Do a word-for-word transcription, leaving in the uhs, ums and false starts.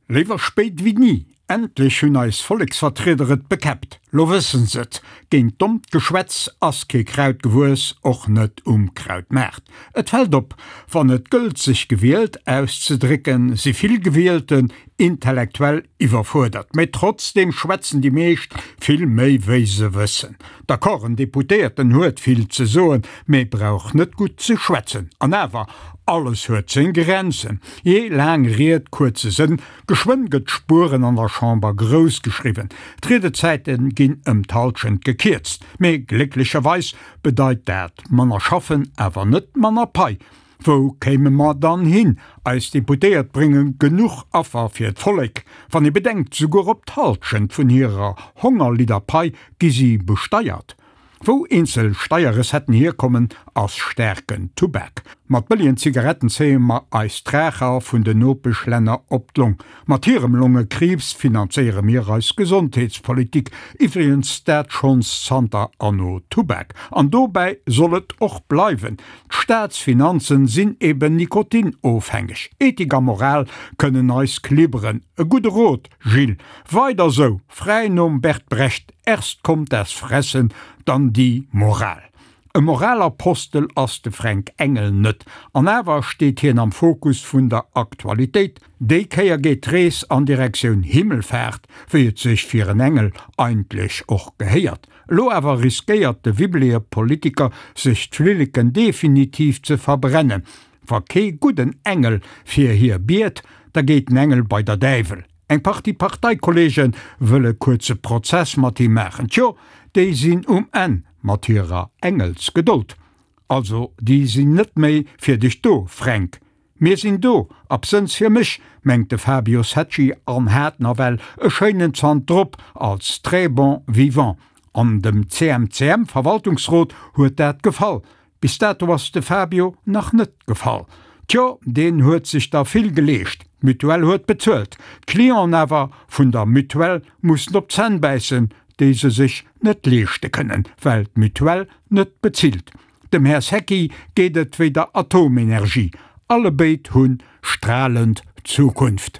Léiwer spéit wéi ni! Endlech hunn eis Volleksvertrieder et bekäppt. Lo wëssen s'et, Géint dommt Geschwätz ass kee Kraut gewuess, och net um Krautmaart. Et fält op, Wann et gëllt sech gewielt auszedrécken, si vill Gewielten intellektuell iwwerfuerdert. Mee trotzdeem schwätzen déi meescht vill méi wéi se wëssen. D'accord, en Deputéierten huet vill ze soen, mee brauch net gutt ze schwätzen. An awer, alles huet seng Grenzen. Jee, laang Ried, kuerze Sënn, geschwënn gëtt Spueren an der Chamber grouss geschriwwen. D'Riedezäite ginn ëm d'Hallschent gekierzt. Mee glécklecherweis bedeit dat manner schaffen, awer net manner Pai. Wou kéime mer dann hin? Eis Deputéiert brénge genuch Affer fir d'Vollek. Wann ee bedenkt, souguer op d'Hallschent vun hirer Hongerlidder-Pai gi si besteiert. Wou eenzel Steierrecetten hierkommen, ass staarken Tubak. Mat bëllegen Zigaretten zéie mer eis d'Raucher vun den Nopeschlänner op d'Long. Mat hirem Longekriibs finanzéiere mir eis Gesondheetspolitik, iwwregens dat schonns zanter Anno Tubak. An dobäi soll et och bleiwen. D'Staatsfinanzen sinn eben nikotinofhängeg. Ethik a Moral kënnen eis klibberen. E gudde Rot, Gilles. Weider sou, fräi nom Bert Brecht, Erst kommt das Fressen, dann die Moral. E Moralapostel ass de Fränk Engel net, an awer steet hien am Fokus vun der Aktualitéit. Déi Kéier geet d'Rees an Direktioun Himmelfaart, wéi et sech fir en Engel eigentlech och gehéiert. Elo awer riskéiert de wibbelege Politiker sech d'Flilleken definitiv ze verbrennen. Wa kee gudden Engel fir hie biet, da geet den Engel bei der Däiwel. Eng Partie Parteikolleege wëlle kuerze Prozess mat him maachen. Tjo, déi sinn um Enn mat hirer Engelsgedold. Also, déi sinn net méi fir dech do, Fränk. Mir sinn do, absënns fir mech, mengt de Fabio Secci an hat nawell e schéinen Zant drop als très bon vivant. An dem C M C M-Verwaltungsrot huet dat gefall. Bis dato ass de Fabio nach net gefall. Tjo, deen huet sech der vill geleescht. D'Mutuelle huet bezuelt. D'Clienten awer vun der Mutuelle mussen op d'Zänn bäissen, déi se sech net leeschte kënnen, well d'Mutuelle net bezilt. Dem Här Secchi geet et wéi der Atomenergie, allebéid hu stralend Zukunft.